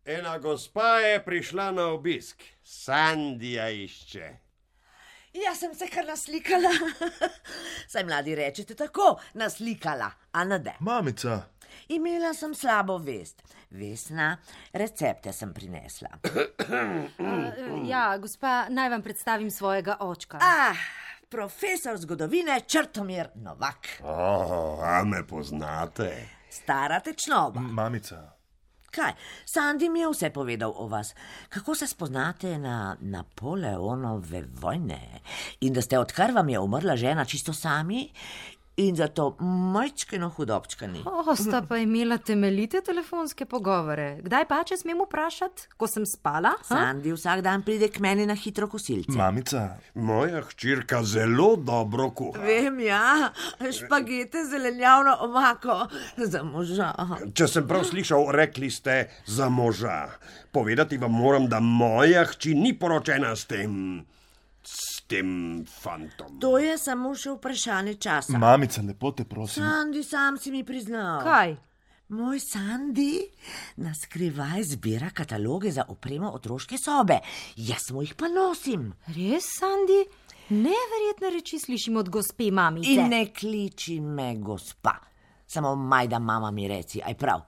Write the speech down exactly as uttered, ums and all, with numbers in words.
Ena gospa je prišla na obisk. Sandija išče. Jaz sem se kar naslikala. Saj mladi rečete tako, naslikala, a ne de. Mamica. Imela sem slabo vest. Vesna, recepte sem prinesla. uh, ja, gospa, naj vam predstavim svojega očka. Ah, profesor zgodovine Črtomir Novak. Oh, a me poznate? Stara tečnoba. Mamica. Kaj? Sandi mi je vse povedal o vas. Kako se spoznate na Napoleonove vojne? In da ste, odkar vam je umrla žena, čisto sami? In zato majčkeno hudobčkani. O, sta pa imela temeljite telefonske pogovore. Kdaj pa, če smem vprašati, ko sem spala? Ha? Sandi vsak dan pride k meni na hitro kosilce. Mamica. Moja hčerka zelo dobro kuha. Vem, ja, špagete z zelenjavno omako za moža. Če sem prav slišal, rekli ste za moža. Povedati vam moram, da moja hči ni poročena s tem... s tem fantom. To je samo še vprašanje časa. Mamica, lepo te prosim. Sandi, sam si mi priznal. Kaj? Moj Sandi na skrivaj zbira kataloge za opremo otroške sobe. Jaz mu jih pa nosim. Res, Sandi? Neverjetne reči slišim od gospe mamice. In ne kliči me gospa. Samo majda mama mi reci, aj prav.